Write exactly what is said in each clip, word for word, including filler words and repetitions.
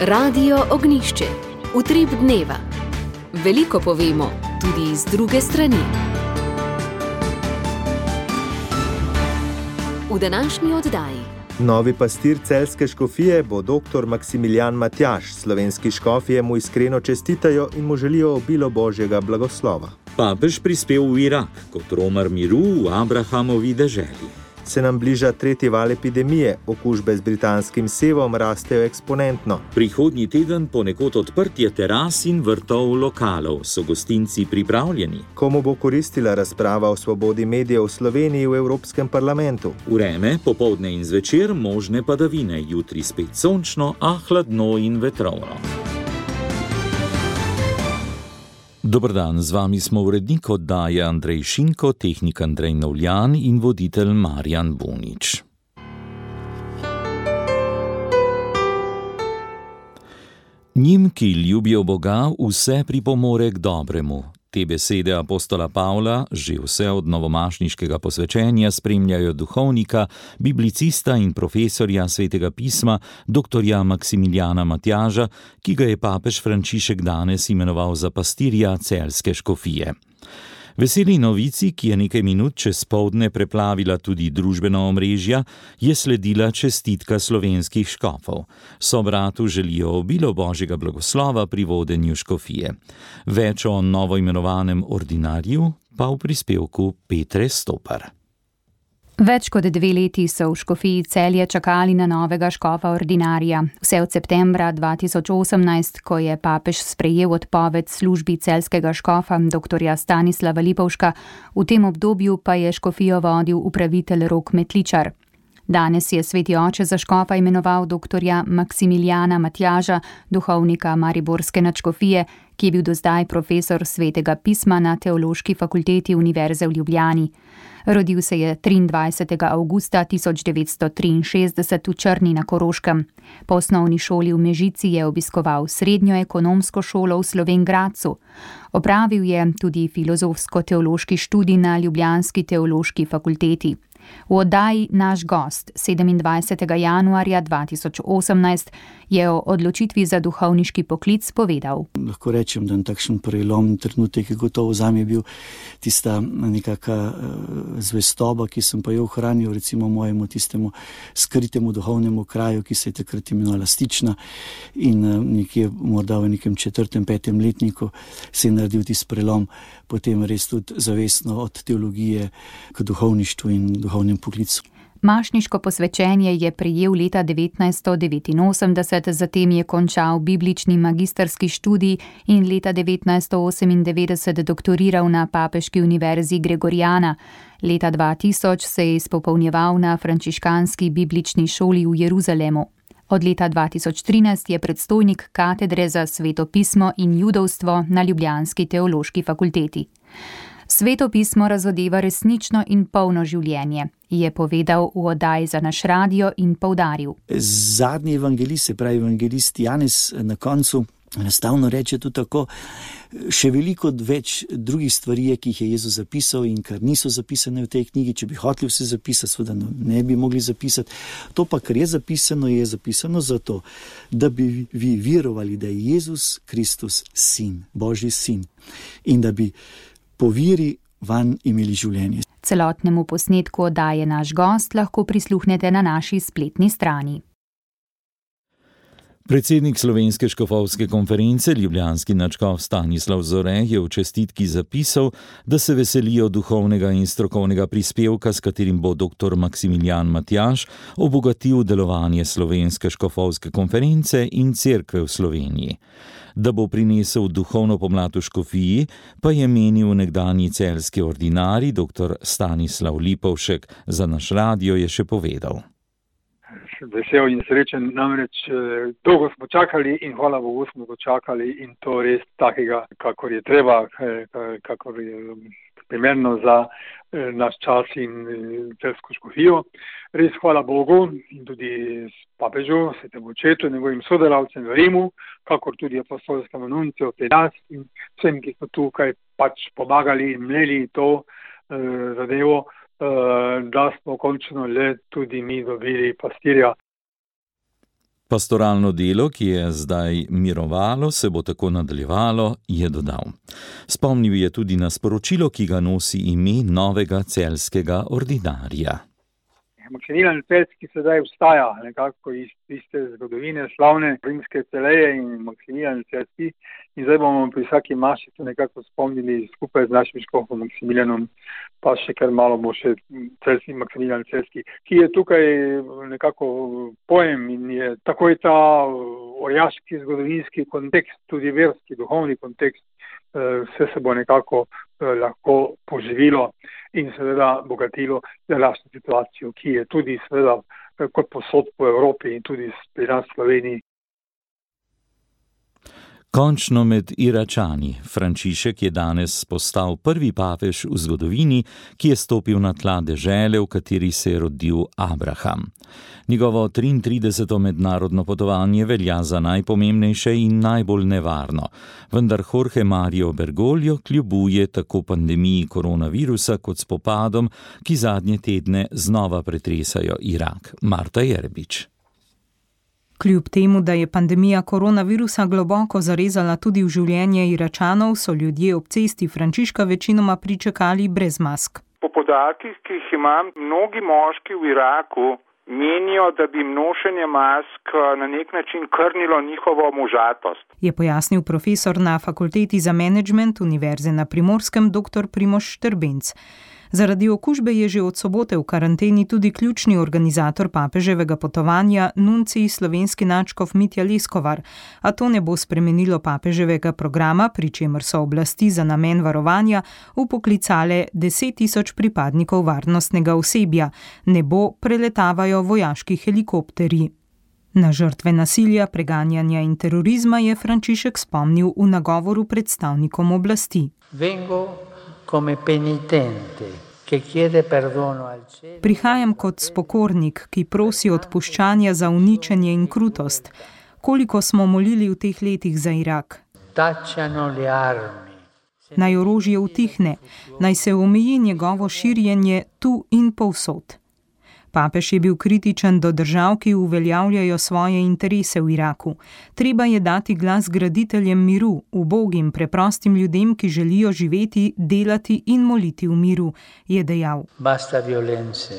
Radio Ognjišče. Utrip dneva. Veliko povemo, tudi iz druge strani. V današnji oddaji. Novi pastir celjske škofije bo doktor Maksimilijan Matjaž. Slovenski škofje mu iskreno čestitajo in mu želijo obilo Božjega blagoslova. Papež prispel v Irak kot romar miru v Abrahamovi deželi. Se nam bliža tretji val epidemije, okužbe z britanskim sevom rastejo eksponentno. Prihodnji teden ponekod odprtje teras in vrtov lokalov. So gostinci pripravljeni? Komu bo koristila razprava o svobodi medijev v Sloveniji v Evropskem parlamentu? Vreme, popoldne in zvečer, možne padavine, jutri spet sončno, a hladno in vetrovno. Dober dan, z vami smo urednik oddaje Andrej Šinko, tehnik Andrej Novljan in voditelj Marjan Bunič. Njim, ki ljubijo Boga, vse pripomore k dobremu. Te besede apostola Pavla že vse od novomašniškega posvečenja spremljajo duhovnika, biblicista in profesorja svetega pisma, doktorja Maksimilijana Matjaža, ki ga je papež Frančišek danes imenoval za pastirja celjske škofije. Veseli novici, ki je nekaj minut čez poldne preplavila tudi družbena omrežja, je sledila čestitka slovenskih škofov. Sobratu želijo obilo Božjega blagoslova pri vodenju škofije. Več o novoimenovanem ordinarju pa v prispevku Petre Stopar. Več kot dve leti so v škofiji Celje čakali na novega škofa ordinarja. Vse od septembra dva tisoč osemnajst, ko je papež sprejel odpoved službi celjskega škofa doktorja Stanislava Lipovška, v tem obdobju pa je škofijo vodil upravitelj Rok Metličar. Danes je sveti oče za škofa imenoval doktorja Maksimilijana Matjaža, duhovnika mariborske nadškofije, ki je bil do zdaj profesor svetega pisma na Teološki fakulteti Univerze v Ljubljani. Rodil se je triindvajsetega avgusta tisoč devetsto triinšestdeset v Črni na Koroškem. Po osnovni šoli v Mežici je obiskoval srednjo ekonomsko šolo v Slovenj Gradcu. Opravil je tudi filozofsko-teološki študij na ljubljanski teološki fakulteti. V oddaji Naš gost sedemindvajsetega januarja dva tisoč osemnajst je o odločitvi za duhovniški poklic povedal. Lahko rečem, da je takšen prelom trenutek, ki gotovo zame bil tista nekaka zvestoba, ki sem pa jo ohranil recimo mojemu tistemu skritemu duhovnemu kraju, ki se je takrat imenovala Stična, in nekje morda v nekem četrtem, petem letniku se je naredil tisti prelom, potem res tudi zavestno od teologije k duhovništvu in duhovnem poklicu. Mašniško posvečenje je prejel leta devetnajststo devetinosemdeset, zatem je končal biblični magistrski študij in leta devetnajststo osemindevetdeset doktoriral na Papeški univerzi Gregorijana. Leta dva tisoč se je izpopolnjeval na frančiškanski biblični šoli v Jeruzalemu. Od leta dva tisoč trinajst je predstojnik katedre za sveto pismo in judovstvo na ljubljanski teološki fakulteti. Sveto pismo razodeva resnično in polno življenje, je povedal v oddaji za Naš radio in poudaril. Zadnji evangelist, se pravi evangelist Janez, na koncu enostavno reče tudi tako, še veliko več drugih stvari, ki jih je Jezus zapisal in kar niso zapisane v tej knjigi. Če bi hoteli vse zapisati, seveda ne bi mogli zapisati. To pa, kar je zapisano, je zapisano zato, da bi vi verovali, da je Jezus Kristus sin, Božji sin, in da bi po veri vanj imeli življenje. Celotnemu posnetku oddaje Naš gost lahko prisluhnete na naši spletni strani. Predsednik Slovenske škofovske konference, ljubljanski nadškof Stanislav Zore, je v čestitki zapisal, da se veselijo duhovnega in strokovnega prispevka, s katerim bo doktor Maksimilijan Matjaž obogatil delovanje Slovenske škofovske konference in cerkve v Sloveniji. Da bo prinesel duhovno pomlad v škofiji, pa je menil nekdanji celjski ordinarij doktor Stanislav Lipovšek. Za Naš radio je še povedal. Vesel in srečen, namreč dolgo smo čakali in hvala Bogu smo dočakali, in to res takega, kakor je treba, kakor je primerno za naš čas in celjsko škofijo. Res hvala Bogu in tudi papežu, svetemu očetu, njegovim sodelavcem v Rimu, kakor tudi apostolskemu nunciju pri nas in vsem, ki so tukaj pač pomagali in mleli to eh, zadevo, da smo končno le tudi mi dobili pastirja. Pastoralno delo, ki je zdaj mirovalo, se bo tako nadaljevalo, je dodal. Spomnil je tudi na sporočilo, ki ga nosi ime novega celjskega ordinarija. Maksimilijan Celjski sedaj vstaja nekako iz tiste zgodovine slavne rimske celeje in Maksimilijan Celjski. In zdaj bomo pri vsaki maši to nekako spomnili skupaj z našim škofom Maksimilijanom, pa še kar malo bo še Celjski, Maksimilijan Celjski, ki je tukaj nekako pojem in je takoj ta orjaški zgodovinski kontekst, tudi verski, duhovni kontekst, vse se bo nekako lahko poživilo in seveda bogatilo današnjo situacijo, ki je tudi seveda kot posod po Evropi in tudi pri nas v Sloveniji. Končno med Iračani. Frančišek je danes postal prvi papež v zgodovini, ki je stopil na tla dežele, v kateri se je rodil Abraham. Njegovo triintrideseto mednarodno potovanje velja za najpomembnejše in najbolj nevarno, vendar Jorge Mario Bergoglio kljubuje tako pandemiji koronavirusa kot spopadom, ki zadnje tedne znova pretresajo Irak. Marta Jerbič. Kljub temu, da je pandemija koronavirusa globoko zarezala tudi v življenje Iračanov, so ljudje ob cesti Frančiška večinoma pričakali brez mask. Po podatkih, ki jih imam, mnogi moški v Iraku menijo, da bi nošenje mask na nek način krnilo njihovo možatost. Je pojasnil profesor na Fakulteti za menedžment Univerze na Primorskem dr. Primož Štrbenc. Zaradi okužbe je že od sobote v karanteni tudi ključni organizator papeževega potovanja, nuncij slovenski nadškof Mitja Leskovar, a to ne bo spremenilo papeževega programa, pri čemer so oblasti za namen varovanja vpoklicale deset tisoč pripadnikov varnostnega osebja, nebo preletavajo vojaški helikopterji. Na žrtve nasilja, preganjanja in terorizma je Frančišek spomnil v nagovoru predstavnikom oblasti. Vengo come penitente, che chiede perdono al cielo. Prihajam kot spokornik, ki prosi odpuščanja za uničenje in krutost. Koliko smo molili v teh letih za Irak? Tacciano le armi. Naj orožje utihne, naj se omeji njegovo širjenje tu in povsod. Papež je bil kritičen do držav, ki uveljavljajo svoje interese v Iraku. Treba je dati glas graditeljem miru, ubogim, preprostim ljudem, ki želijo živeti, delati in moliti v miru, je dejal. Basta violence,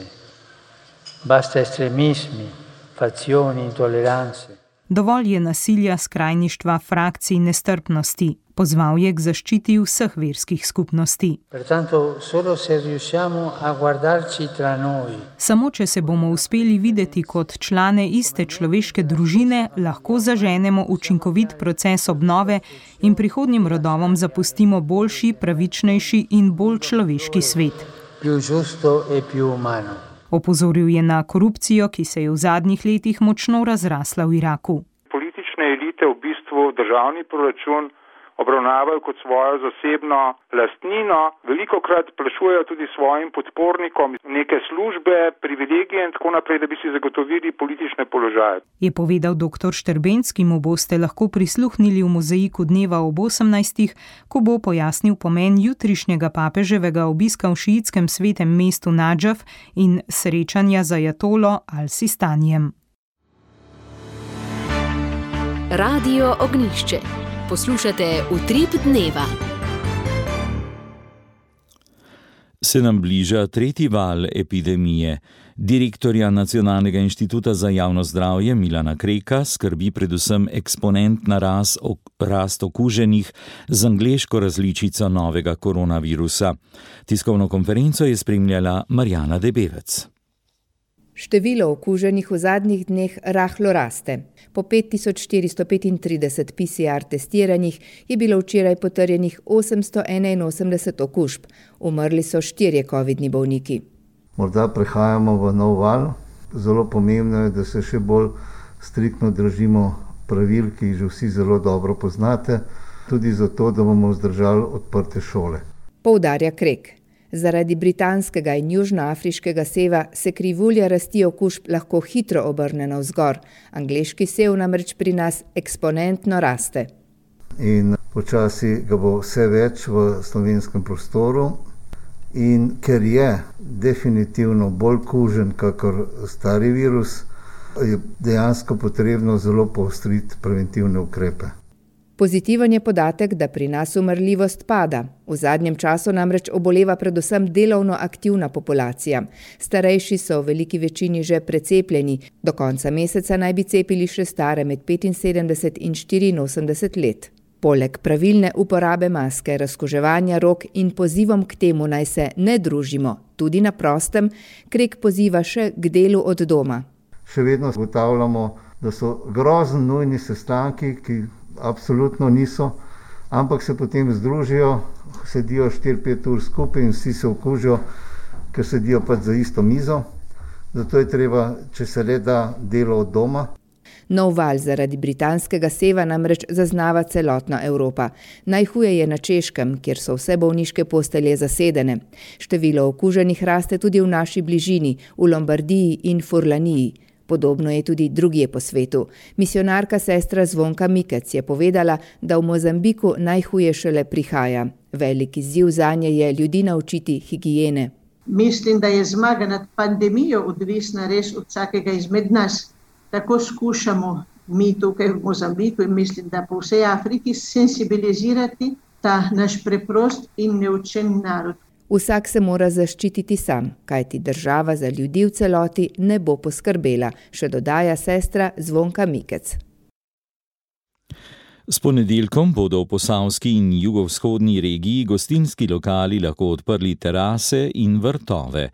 basta estremismi, fazioni, intolerance. Dovolj je nasilja, skrajništva, frakcij, nestrpnosti. Pozval je k zaščiti vseh verskih skupnosti. Pertanto, solo se riusciamo a guardarci tra noi. Samo če se bomo uspeli videti kot člane iste človeške družine, lahko zaženemo učinkovit proces obnove in prihodnjim rodovom zapustimo boljši, pravičnejši in bolj človeški svet. Più giusto e più umano. Opozoril je na korupcijo, ki se je v zadnjih letih močno razrasla v Iraku. Politične elite v bistvu državni proračun obravnavajo kot svojo zasebno lastnino, velikokrat plačujejo tudi svojim podpornikom neke službe, privilegije in tako naprej, da bi si zagotovili politične položaje. Je povedal doktor Štrbenc, ki mu boste lahko prisluhnili v mozaiku dneva ob osemnajstih, ko bo pojasnil pomen jutrišnjega papeževega obiska v šiitskem svetem mestu Nadžaf in srečanja z ajatolo Al-Sistanijem. Radio Ognjišče. Poslušate Utrip dneva. Se nam bliža tretji val epidemije. Direktorja Nacionalnega inštituta za javno zdravje Milana Kreka skrbi predvsem eksponentna rast, rast okuženih z angleško različico novega koronavirusa. Tiskovno konferenco je spremljala Marjana Debevec. Število okuženih v zadnjih dneh rahlo raste. Po pet tisoč štiristo petintrideset P C R testiranih je bilo včeraj potrjenih osemsto enainosemdeset okužb. Umrli so štirje covidni bolniki. Morda prehajamo v nov val. Zelo pomembno je, da se še bolj striktno držimo pravil, ki jih že vsi zelo dobro poznate, tudi zato, da bomo vzdržali odprte šole. Poudarja Krek. Zaradi britanskega in južnoafriškega seva se krivulja rasti okužb lahko hitro obrne navzgor. Angleški sev namreč pri nas eksponentno raste. In počasi ga bo vse več v slovenskem prostoru. In ker je definitivno bolj kužen kakor stari virus, je dejansko potrebno zelo poostriti preventivne ukrepe. Pozitiven je podatek, da pri nas umrljivost pada. V zadnjem času namreč oboleva predvsem delovno aktivna populacija. Starejši so v veliki večini že precepljeni. Do konca meseca naj bi cepili še stare med petinsedemdeset in štiriinosemdeset let. Poleg pravilne uporabe maske, razkuževanja rok in pozivom k temu naj se ne družimo, tudi na prostem, Krek poziva še k delu od doma. Še vedno ugotavljamo, da so grozno nujni sestanki, ki absolutno niso, ampak se potem združijo, sedijo štiri pet ur skupaj in vsi se okužijo, ker sedijo pač za isto mizo. Zato je treba, če se le da, delo od doma. Nov val zaradi britanskega seva namreč zaznava celotna Evropa. Najhuje je na Češkem, kjer so vse bolniške postelje zasedene. Število okuženih raste tudi v naši bližini, v Lombardiji in Furlaniji. Podobno je tudi drugje po svetu. Misionarka sestra Zvonka Mikec je povedala, da v Mozambiku najhuje šele prihaja. Velik izziv zanje je ljudi naučiti higiene. Mislim, da je zmaga nad pandemijo odvisna res od vsakega izmed nas. Tako skušamo mi tukaj v Mozambiku in mislim, da po vsej Afriki sensibilizirati ta naš preprost in neučen narod. Vsak se mora zaščititi sam, kajti država za ljudi v celoti ne bo poskrbela, še dodaja sestra Zvonka Mikec. S ponedeljkom bodo v posavski in jugovzhodni regiji gostinski lokali lahko odprli terase in vrtove.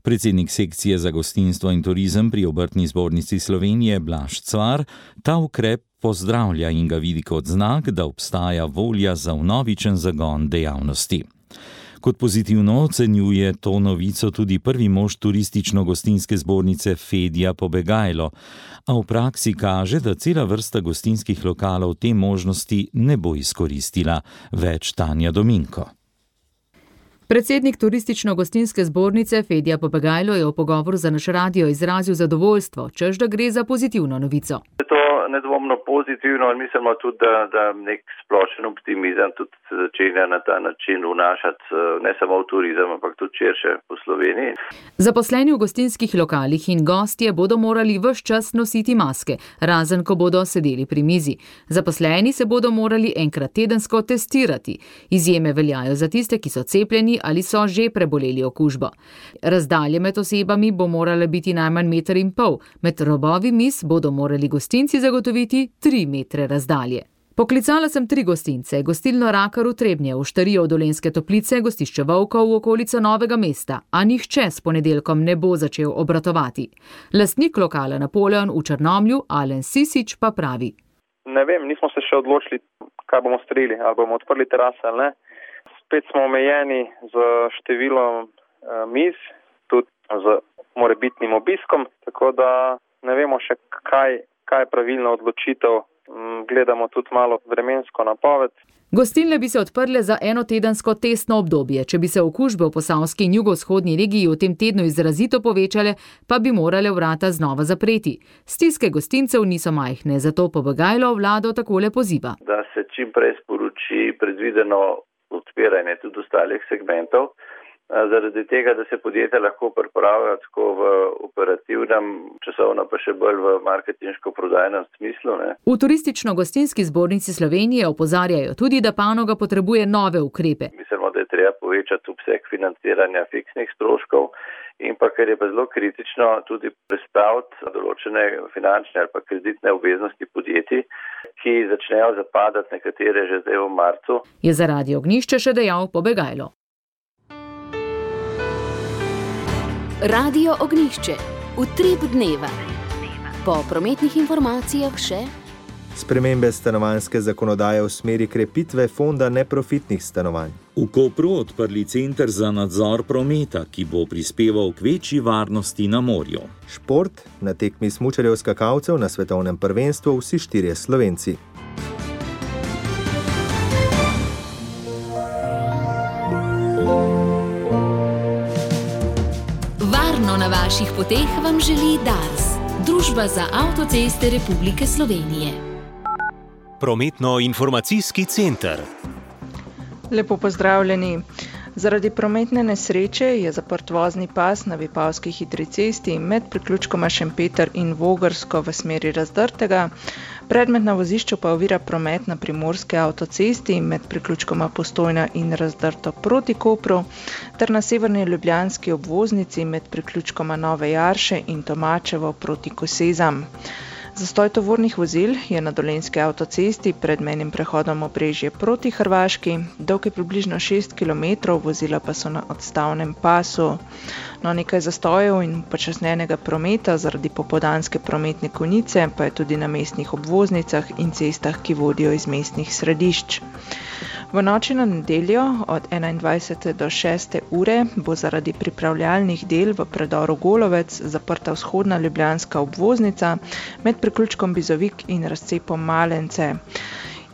Predsednik sekcije za gostinstvo in turizem pri Obrtni zbornici Slovenije Blaž Cvar ta ukrep pozdravlja in ga vidi kot znak, da obstaja volja za vnovičen zagon dejavnosti. Kot pozitivno ocenjuje to novico tudi prvi mož turistično-gostinske zbornice Fedja Pobegajlo, a v praksi kaže, da cela vrsta gostinskih lokalov te možnosti ne bo izkoristila. Več Tanja Dominko. Predsednik turistično-gostinske zbornice Fedja Pobegajlo je v pogovoru za naš radio izrazil zadovoljstvo, češ da gre za pozitivno novico. To nedvomno pozitivno in mislimo tudi, da, da nek splošen optimizem tudi začenja na ta način vnašati ne samo v turizem, ampak tudi širše po Sloveniji. Zaposleni v gostinskih lokalih in gostje bodo morali ves čas nositi maske, razen ko bodo sedeli pri mizi. Zaposleni se bodo morali enkrat tedensko testirati. Izjeme veljajo za tiste, ki so cepljeni ali so že preboleli okužbo. Razdalje med osebami bo morala biti najmanj meter in pol, med robovi miz bodo morali gostinci zagotoviti tri metre razdalje. Poklicala sem tri gostince, gostilno Rakar v Trebnje, v Štarijo v Dolenjske Toplice, gostišče Volkov v okolico Novega mesta, a nihče s ponedeljkom ne bo začel obratovati. Lastnik lokala Napoleon v Črnomlju, Alen Sisič, pa pravi. Ne vem, nismo se še odločili, kaj bomo storili, ali bomo odprli terase ali ne. Spet smo omejeni z številom uh, miz, tudi z morebitnim obiskom, tako da ne vemo še, kaj, kaj je pravilna odločitev. Gledamo tudi malo vremensko napoved. Gostilne bi se odprle za enotedensko testno obdobje. Če bi se okužbe v posavski in jugovzhodni regiji v tem tednu izrazito povečale, pa bi morale vrata znova zapreti. Stiske gostincev niso majhne, zato Pobegajlo vlado takole poziva. Da se čim prej sporoči predvideno odpiranje tudi ostalih segmentov, zaradi tega, da se podjetja lahko pripravijo tako v operativnem, časovno pa še bolj v marketinško-prodajnem smislu. Ne? V turistično-gostinski zbornici Slovenije opozarjajo tudi, da panoga potrebuje nove ukrepe. Mislimo, da je treba povečati obseg financiranja fiksnih stroškov in pa, ker je pa zelo kritično, tudi predstaviti določene finančne ali pa kreditne obveznosti podjetij, ki začnejo zapadati nekatere že zdaj v marcu. Je za Radio Ognjišče še dejal Pobegajlo. Radio Ognjišče, utrip dneva. Po prometnih informacijah še spremembe stanovanjske zakonodaje v smeri krepitve fonda neprofitnih stanovanj. V Kopru odprli center za nadzor prometa, ki bo prispeval k večji varnosti na morju. Šport, na tekmi smučarjev skakalcev na svetovnem prvenstvu vsi štirje Slovenci. Varno na vaših poteh vam želi Dars, Družba za avtoceste Republike Slovenije. Prometno-informacijski center. Lepo pozdravljeni. Zaradi prometne nesreče je zaprt vozni pas na Vipavski hitri cesti med priključkoma Šempeter in Vogrsko v smeri Razdrtega. Predmet na vozišču pa ovira promet na Primorske avtocesti med priključkoma Postojna in Razdrto proti Kopru ter na severni ljubljanski obvoznici med priključkoma Nove Jarše in Tomačevo proti Kosezam. Zastoj tovornih vozil je na Dolenjski avtocesti pred mejnim prehodom Obrežje proti Hrvaški, dolg je približno šest kilometrov, vozila pa so na odstavnem pasu. No, nekaj zastojev in počasnenega prometa zaradi popoldanske prometne konice pa je tudi na mestnih obvoznicah in cestah, ki vodijo iz mestnih središč. V noči na nedeljo od enaindvajsete do šeste ure bo zaradi pripravljalnih del v predoru Golovec zaprta vzhodna ljubljanska obvoznica med priključkom Bizovik in razcepom Malence.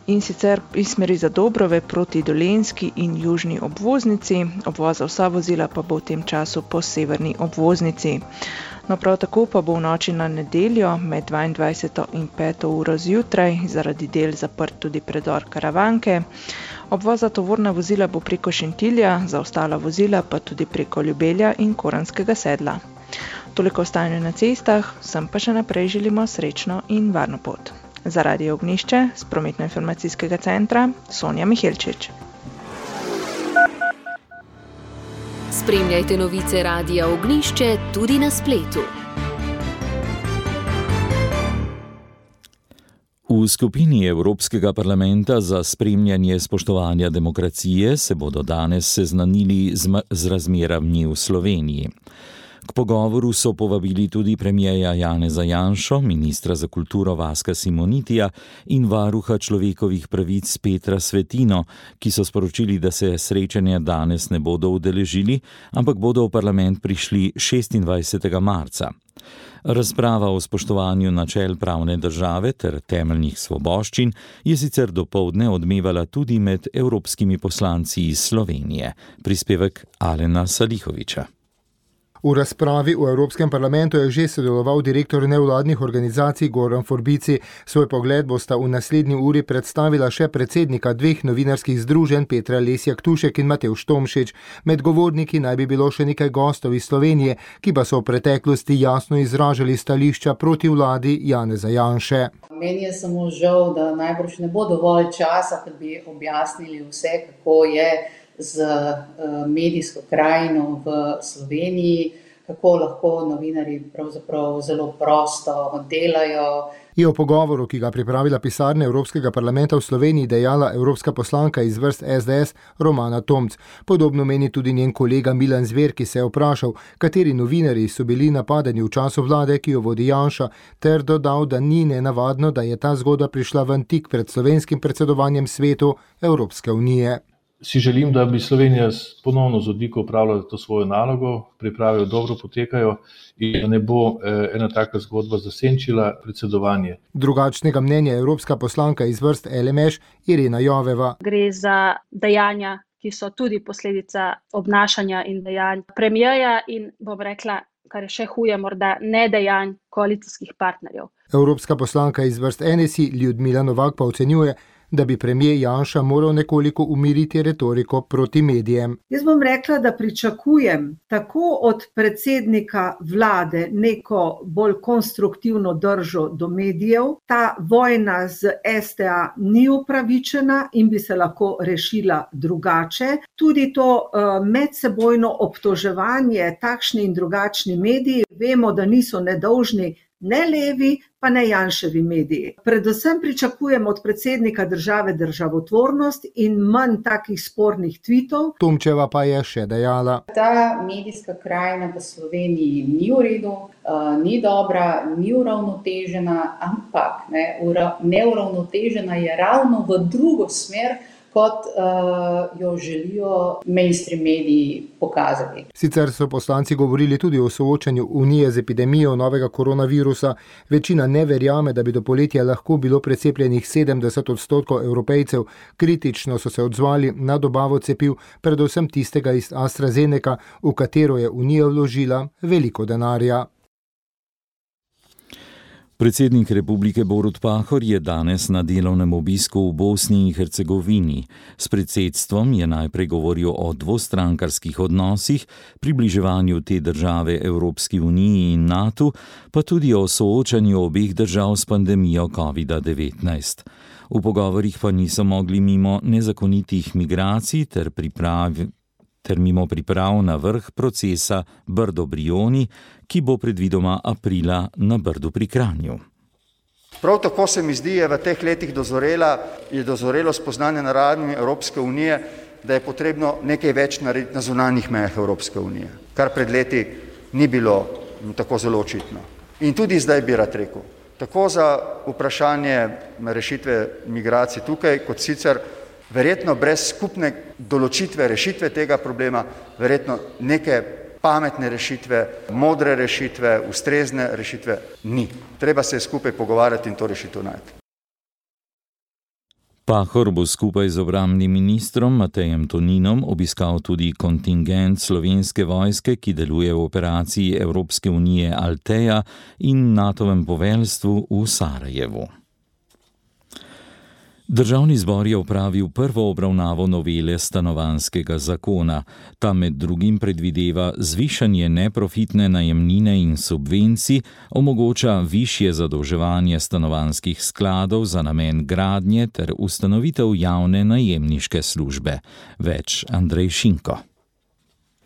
In sicer iz smeri za Dobrove proti Dolenjski in južni obvoznici, obvoza vsa vozila pa bo v tem času po severni obvoznici. No, prav tako pa bo v noči na nedeljo med dvaindvajseto in peto uro zjutraj zaradi del zaprt tudi predor Karavanke. Obvoz za tovorna vozila bo preko Šentilja, za ostala vozila pa tudi preko Ljubelja in Koranskega sedla. Toliko o stanju na cestah, vsem pa še naprej želimo srečno in varno pot. Za Radio Ognišče z prometno-informacijskega centra Sonja Mihelčič. Spremljajte novice Radia Ognišče tudi na spletu. V skupini Evropskega parlamenta za spremljanje spoštovanja demokracije se bodo danes seznanili z razmerami v Sloveniji. K pogovoru so povabili tudi premierja Janeza Janšo, ministra za kulturo Vaska Simonitija in varuha človekovih pravic Petra Svetino, ki so sporočili, da se srečanja danes ne bodo udeležili, ampak bodo v parlament prišli šestindvajsetega marca. Razprava o spoštovanju načel pravne države ter temeljnih svoboščin je sicer dopoldne odmevala tudi med evropskimi poslanci iz Slovenije. Prispevek Alena Salihoviča. V razpravi v Evropskem parlamentu je že sodeloval direktor nevladnih organizacij Goran Forbici. Svoj pogled bosta v naslednji uri predstavila še predsednika dveh novinarskih združenj Petra Lesjak Tušek in Matevž Tomšič. Med govorniki naj bi bilo še nekaj gostov iz Slovenije, ki pa so v preteklosti jasno izražali stališča proti vladi Janeza Janše. Meni je samo žal, da najbrž ne bo dovolj časa, da bi objasnili vse, kako je z medijsko krajino v Sloveniji, kako lahko novinarji pravzaprav zelo prosto delajo. Je o pogovoru, ki ga pripravila pisarna Evropskega parlamenta v Sloveniji, dejala evropska poslanka iz vrst es de es Romana Tomc. Podobno meni tudi njen kolega Milan Zver, ki se je vprašal, kateri novinarji so bili napadeni v času vlade, ki jo vodi Janša, ter dodal, da ni nenavadno, da je ta zgodba prišla ven tik pred slovenskim predsedovanjem svetu Evropske unije. Si želim, da bi Slovenija ponovno z odliko upravljala to svojo nalogo, priprave dobro potekajo in da ne bo ena taka zgodba zasenčila predsedovanje. Drugačnega mnenja je evropska poslanka iz vrst el em eš Irena Joveva. Gre za dejanja, ki so tudi posledica obnašanja in dejanj premierja in, bom rekla, kar je še huje, morda nedejanj koalicijskih partnerjev. Evropska poslanka iz vrst en es i Ljudmila Novak pa ocenjuje, da bi premijer Janša moral nekoliko umiriti retoriko proti medijem. Jaz bom rekla, da pričakujem tako od predsednika vlade neko bolj konstruktivno držo do medijev. Ta vojna z es te a ni upravičena in bi se lahko rešila drugače. Tudi to uh, medsebojno obtoževanje takšni in drugačni mediji, vemo, da niso nedolžni ne levi, pa ne Janševi mediji. Predvsem pričakujem od predsednika države državotvornost in manj takih spornih tvitov. Tomčeva pa je še dejala. Ta medijska krajina v Sloveniji ni v redu, uh, ni dobra, ni uravnotežena, ampak ne, ura, neuravnotežena je ravno v drugo smer, kot uh, jo želijo mainstream mediji pokazati. Sicer so poslanci govorili tudi o soočanju Unije z epidemijo novega koronavirusa. Večina ne verjame, da bi do poletja lahko bilo precepljenih sedemdeset odstotkov Evropejcev. Kritično so se odzvali na dobavo cepiv, predvsem tistega iz AstraZeneca, v katero je Unija vložila veliko denarja. Predsednik republike Borut Pahor je danes na delovnem obisku v Bosni in Hercegovini. S predsedstvom je najprej govoril o dvostrankarskih odnosih, približevanju te države Evropski uniji in NATO, pa tudi o soočanju obeh držav s pandemijo kovida devetnajst. V pogovorih pa niso mogli mimo nezakonitih migracij ter pripravi ter mimo priprav na vrh procesa Brdo-Brioni, ki bo predvidoma aprila na Brdu pri Kranju. Prav tako se mi zdi, je v teh letih dozorela, je dozorelo spoznanje na ravni Evropske unije, da je potrebno nekaj več narediti na zunanjih mejah Evropske unije, kar pred leti ni bilo tako zelo očitno. In tudi zdaj bi rad rekel, tako za vprašanje rešitve migracij tukaj, kot sicer verjetno brez skupne določitve rešitve tega problema, verjetno neke pametne rešitve, modre rešitve, ustrezne rešitve ni. Treba se skupaj pogovarjati in to rešitev najti. Pahor bo skupaj z obrambnim ministrom Matejem Toninom obiskal tudi kontingent Slovenske vojske, ki deluje v operaciji Evropske unije Alteja in NATOvem poveljstvu v Sarajevu. Državni zbor je opravil prvo obravnavo novele stanovanjskega zakona. Ta med drugim predvideva zvišanje neprofitne najemnine in subvencij, omogoča višje zadolževanje stanovanjskih skladov za namen gradnje ter ustanovitev javne najemniške službe. Več Andrej Šinko.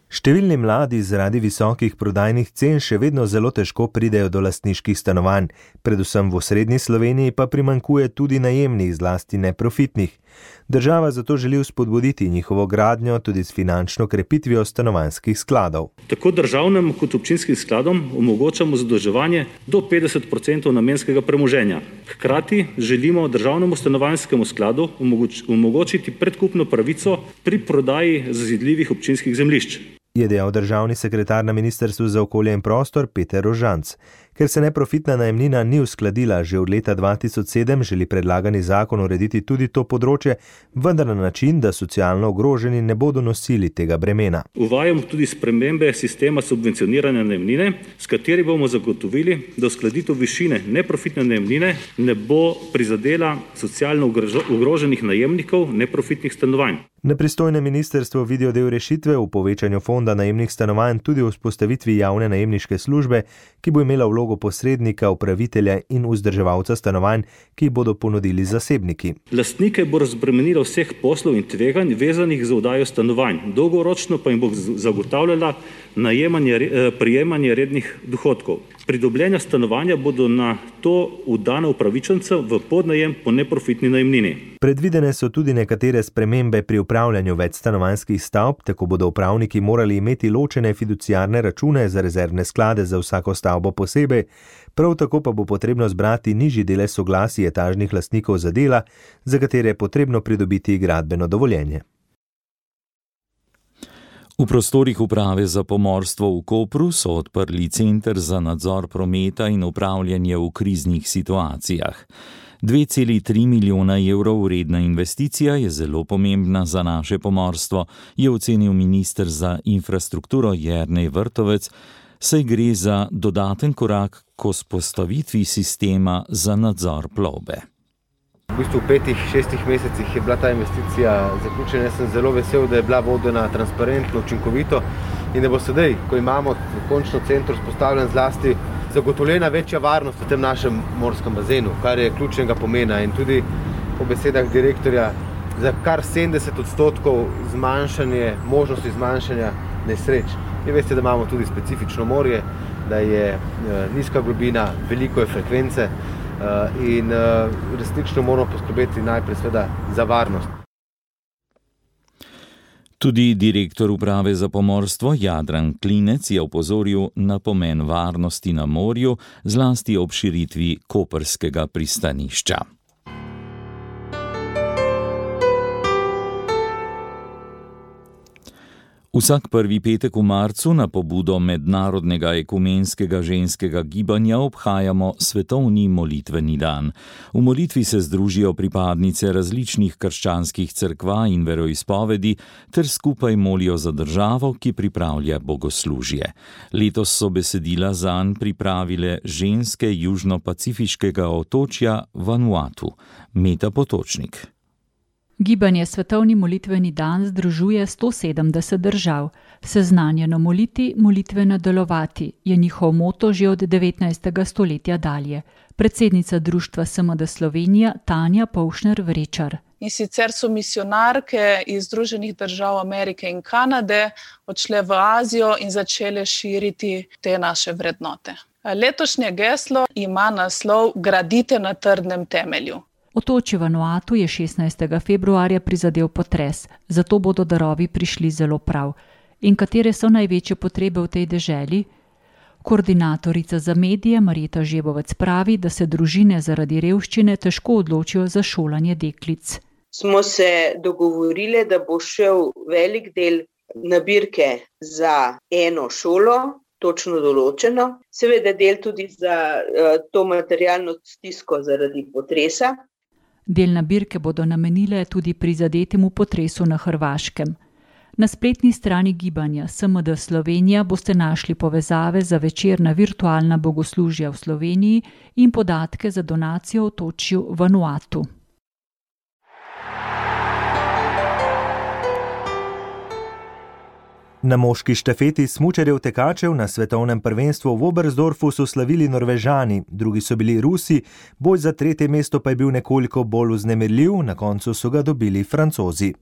Številni mladi zaradi visokih prodajnih cen še vedno zelo težko pridejo do lastniških stanovanj, predvsem v osrednji Sloveniji pa primanjkuje tudi najemnih, zlasti neprofitnih. Država zato želi vzpodbuditi njihovo gradnjo tudi s finančno krepitvijo stanovanjskih skladov. Tako državnem kot občinskim skladom omogočamo zadolževanje do petdeset procentov namenskega premoženja. Hkrati želimo državnemu stanovanjskemu skladu omogoč- omogočiti predkupno pravico pri prodaji zazidljivih občinskih zemljišč. Je dejal državni sekretar na Ministrstvu za okolje in prostor Peter Rožanc. Ker se neprofitna najemnina ni uskladila že od leta dva tisoč sedem, želi predlagani zakon urediti tudi to področje, vendar na način, da socialno ogroženi ne bodo nosili tega bremena. Uvajamo tudi spremembe sistema subvencioniranja najemnine, s kateri bomo zagotovili, da uskladitev višine neprofitne najemnine ne bo prizadela socialno ogroženih najemnikov neprofitnih stanovanj. Na pristojnem ministrstvu vidijo del rešitve v povečanju fonda najemnih stanovanj tudi v vzpostavitvi javne najemniške službe, ki bo imela vlogo posrednika, upravitelja in vzdrževalca stanovanj, ki jih bodo ponudili zasebniki. Lastnike bo razbremenilo vseh poslov in tveganj vezanih za oddajo stanovanj, dolgoročno pa jim bo zagotavljala najemanje, prijemanje rednih dohodkov. Pridobljena stanovanja bodo na to vdana upravičencem v podnajem po neprofitni najemnini. Predvidene so tudi nekatere spremembe pri upravljanju večstanovanjskih stavb, tako bodo upravniki morali imeti ločene fiduciarne račune za rezervne sklade za vsako stavbo posebej, prav tako pa bo potrebno zbrati nižji delež soglasij etažnih lastnikov za dela, za katere je potrebno pridobiti gradbeno dovoljenje. V prostorih uprave za pomorstvo v Kopru so odprli center za nadzor prometa in upravljanje v kriznih situacijah. dve celi tri milijona evrov vredna investicija je zelo pomembna za naše pomorstvo, je ocenil minister za infrastrukturo Jernej Vrtovec, saj gre za dodaten korak k vzpostavitvi sistema za nadzor plovbe. V bistvu v petih, šestih mesecih je bila ta investicija zaključena. Jaz sem zelo vesel, da je bila vodena transparentno, učinkovito in da bo sedaj, ko imamo končno center vzpostavljen, zlasti zagotovljena večja varnost v tem našem morskem bazenu, kar je ključnega pomena in tudi po besedah direktorja za kar sedemdeset odstotkov zmanjšanje, možnosti zmanjšanja nesreč. Vi veste, da imamo tudi specifično morje, da je nizka globina, veliko je frekvence in resnično moramo poskrbeti najprej seveda za varnost. Tudi direktor uprave za pomorstvo Jadran Klinec je opozoril na pomen varnosti na morju, zlasti ob širitvi koprskega pristanišča. Vsak prvi petek v marcu na pobudo Mednarodnega ekumenskega ženskega gibanja obhajamo svetovni molitveni dan. V molitvi se združijo pripadnice različnih krščanskih cerkva in veroizpovedi ter skupaj molijo za državo, ki pripravlja bogoslužje. Letos so besedila zanj pripravile ženske južno-pacifiškega otočja Vanuatu. Meta Potočnik. Gibanje Svetovni molitveni dan združuje sto sedemdeset držav. Seznanjeno moliti, molitveno delovati je njihov moto že od devetnajstega stoletja dalje. Predsednica društva S M D Slovenija Tanja Povšner-Vrečar. In sicer so misionarke iz Združenih držav Amerike in Kanade odšle v Azijo in začele širiti te naše vrednote. Letošnje geslo ima naslov Gradite na trdnem temelju. Otočje Vanuatu je šestnajstega februarja prizadel potres, zato bodo darovi prišli zelo prav. In katere so največje potrebe v tej deželi? Koordinatorica za medije Marjeta Žebovec pravi, da se družine zaradi revščine težko odločijo za šolanje deklic. Smo se dogovorili, da bo šel velik del nabirke za eno šolo, točno določeno, seveda del tudi za uh, to materialno stisko zaradi potresa. Del nabirke bodo namenile tudi prizadetemu potresu na Hrvaškem. Na spletni strani gibanja S M D Slovenija boste našli povezave za večerna virtualna bogoslužja v Sloveniji in podatke za donacijo otočju Vanuatu. Na moški štafeti smučarjev tekačev na svetovnem prvenstvu v Oberstdorfu so slavili Norvežani, drugi so bili Rusi, boj za tretje mesto pa je bil nekoliko bolj vznemirljiv, na koncu so ga dobili Francozi.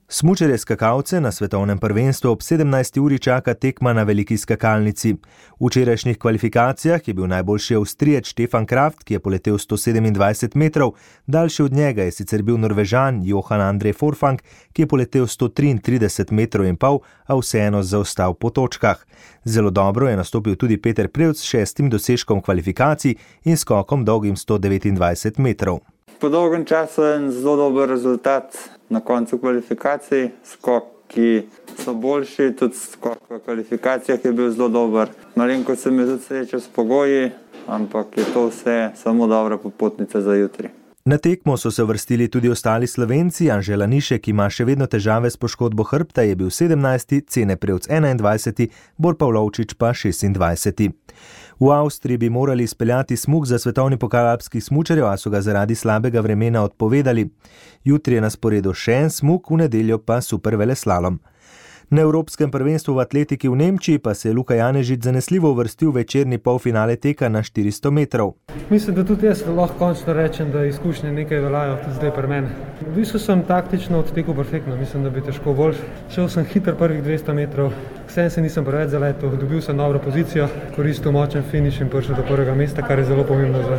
Smučarje skakalce na svetovnem prvenstvu ob sedemnajsti uri čaka tekma na veliki skakalnici. V včerajšnjih kvalifikacijah je bil najboljši Avstrijec Stefan Kraft, ki je poletel sto sedemindvajset metrov, daljši od njega je sicer bil Norvežan Johan Andrej Forfang, ki je poletel sto triintrideset metrov in pol, a vseeno zaostal po točkah. Zelo dobro je nastopil tudi Peter Prevc s šestim dosežkom kvalifikacij in skokom dolgim sto devetindvajset metrov. Po dolgem času je zelo dober rezultat na koncu kvalifikacij, skok, ki so boljši, tudi skok v kvalifikacijah je bil zelo dober. Malenko se mi tudi srečal s pogoji, ampak je to vse samo dobra popotnica za jutri. Na tekmo so se vrstili tudi ostali Slovenci, Anže Lanišek, ki ima še vedno težave s poškodbo hrbta, je bil sedemnajsti, Cene Prevc enaindvajseti, Bor Pavlovčič pa šestindvajseti. V Avstriji bi morali izpeljati smuk za svetovni pokal alpskih smučarjev, a so ga zaradi slabega vremena odpovedali. Jutri je na sporedu še en smuk, v nedeljo pa superveleslalom. Na Evropskem prvenstvu v atletiki v Nemčiji pa se je Luka Janežič zanesljivo uvrstil v večerni polfinale teka na štiristo metrov. Mislim, da tudi jaz lahko končno rečem, da izkušnje nekaj veljajo tudi zdaj pri meni. V bistvu sem taktično odtekel perfektno, mislim, da bi težko boljš. Šel sem hiter prvih dvesto metrov, vsem se nisem preveč zaletel, dobil sem dobro pozicijo, koristil močen finiš in prišel do prvega mesta, kar je zelo pomembno za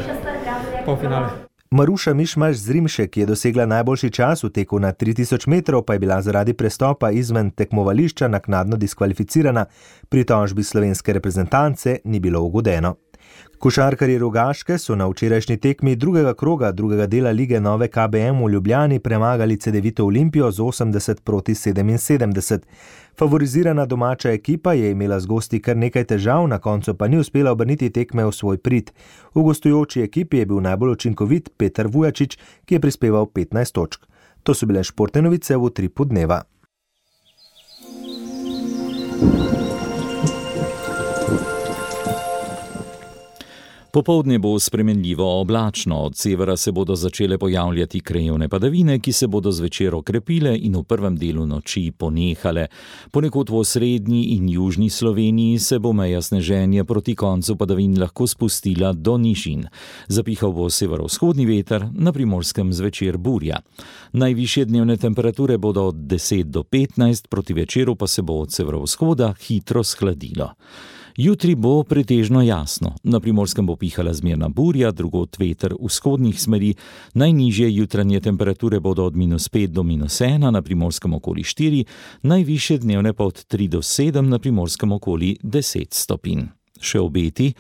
polfinale. Maruša Mišmaš Zrimšek, ki je dosegla najboljši čas v teku na tri tisoč metrov, pa je bila zaradi prestopa izven tekmovališča naknadno diskvalificirana. Pritožbi slovenske reprezentance ni bilo ugodeno. Košarkarji Rogaške so na včerajšnji tekmi drugega kroga drugega dela lige Nove K B M v Ljubljani premagali Cedevito Olimpijo z osemdeset proti sedeminsedemdeset. Favorizirana domača ekipa je imela z gosti kar nekaj težav, na koncu pa ni uspela obrniti tekme v svoj prid. V gostujoči ekipi je bil najbolj učinkovit Peter Vujačič, ki je prispeval petnajst točk. To so bile športne novice v utripu dneva. Popoldne bo spremenljivo oblačno, od severa se bodo začele pojavljati krajevne padavine, ki se bodo zvečer okrepile in v prvem delu noči ponehale. Ponekod v osrednji in južni Sloveniji se bo meja sneženja proti koncu padavin lahko spustila do nižin. Zapihal bo severovzhodni veter, na Primorskem zvečer burja. Najvišje dnevne temperature bodo od deset do petnajst, proti večeru pa se bo od severovzhoda hitro shladilo. Jutri bo pretežno jasno, na Primorskem bo pihala zmerna burja, drugod veter vzhodnih smeri, najnižje jutranje temperature bodo od minus pet do minus ena, na Primorskem okoli štiri, najvišje dnevne pa od tri do sedem, na Primorskem okoli deset stopinj. Še obeti,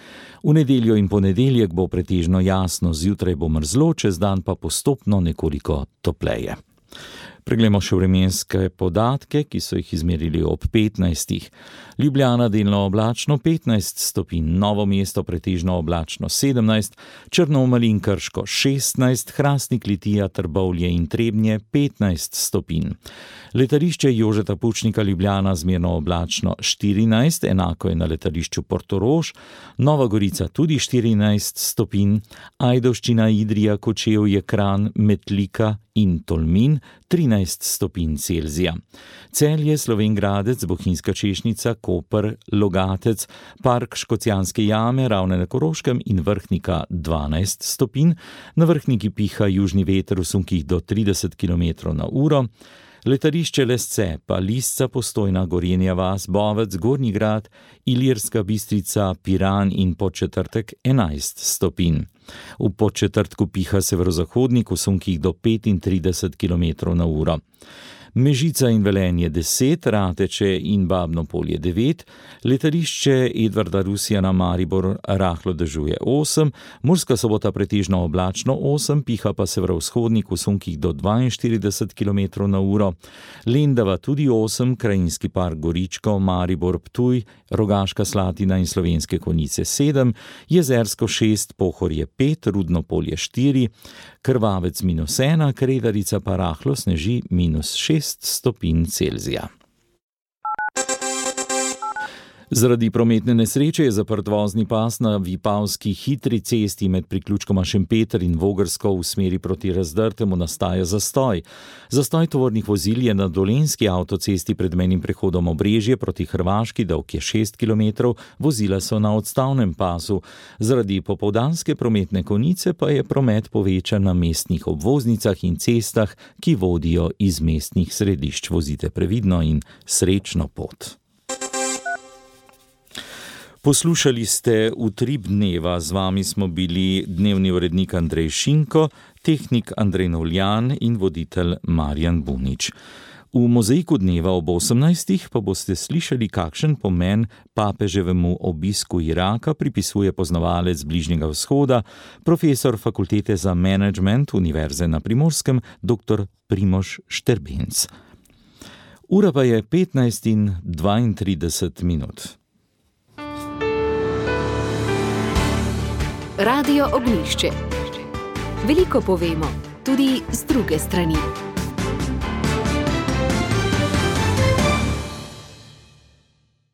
v nedeljo in ponedeljek bo pretežno jasno, zjutraj bo mrzlo, čez dan pa postopno nekoliko topleje. Preglejmo še vremenske podatke, ki so jih izmerili ob petnajstih. Ljubljana delno oblačno petnajst stopinj, Novo mesto pretežno oblačno sedemnajst, Črnomelj in Krško šestnajst, Hrastnik, Litija, Trbovlje in Trebnje petnajst stopinj. Letališče Jožeta Pučnika Ljubljana zmerno oblačno štirinajst, enako je na letališču Portorož, Nova Gorica tudi štirinajst stopinj, Ajdovščina, Idrija, Kočevje, Kranj, Metlika in Tolmin trinajst stopinj Celzija. Celje, Slovenj Gradec, Bohinjska Češnica, Koper, Logatec, Park Škocjanske jame, Ravne na Koroškem in Vrhnika dvanajst stopinj, na Vrhniki piha južni veter v sunkih do trideset kilometrov na uro, letališče Lesce, pa Lisca, Postojna, Gorenja vas, Bovec, Gornji Grad, Ilirska Bistrica, Piran in Podčetrtek enajst stopinj. V Podčetrtku piha severozahodnik v sunkih do petintrideset kilometrov na uro. Mežica in Velenje deset, Rateče in Babno Polje devet, letališče Edvarda Rusjana Maribor rahlo dežuje osem, Murska Sobota pretežno oblačno osem, piha pa severovzhodnik v sunkih do dvainštirideset kilometrov na uro, Lendava tudi osem, Krajinski park Goričko, Maribor, Ptuj, Rogaška Slatina in Slovenske Konjice sedem, Jezersko šest, Pohorje pet, Rudno Polje štiri, Krvavec minus ena, Kredarica pa rahlo sneži minus šest stopinj Celzija. Zaradi prometne nesreče je zaprt vozni pas na Vipavski hitri cesti med priključkoma Šempeter in Vogrsko v smeri proti Razdrtemu, nastaja zastoj. Zastoj tovornih vozil je na Dolenjski avtocesti pred mejnim prehodom Obrežje proti Hrvaški, dolg je šest kilometrov, vozila so na odstavnem pasu. Zaradi popoldanske prometne konice pa je promet povečan na mestnih obvoznicah in cestah, ki vodijo iz mestnih središč. Vozite previdno in srečno pot. Poslušali ste Utrip dneva, z vami smo bili dnevni urednik Andrej Šinko, tehnik Andrej Novljan in voditelj Marjan Bunič. V mozaiku dneva ob osemnajstih pa boste slišali, kakšen pomen papeževemu obisku Iraka pripisuje poznavalec Bližnjega vzhoda, profesor Fakultete za menedžment Univerze na Primorskem, dr. Primož Šterbenc. Ura pa je petnajst in dvaintrideset minut. Radio Ognjišče. Veliko povemo, tudi z druge strani.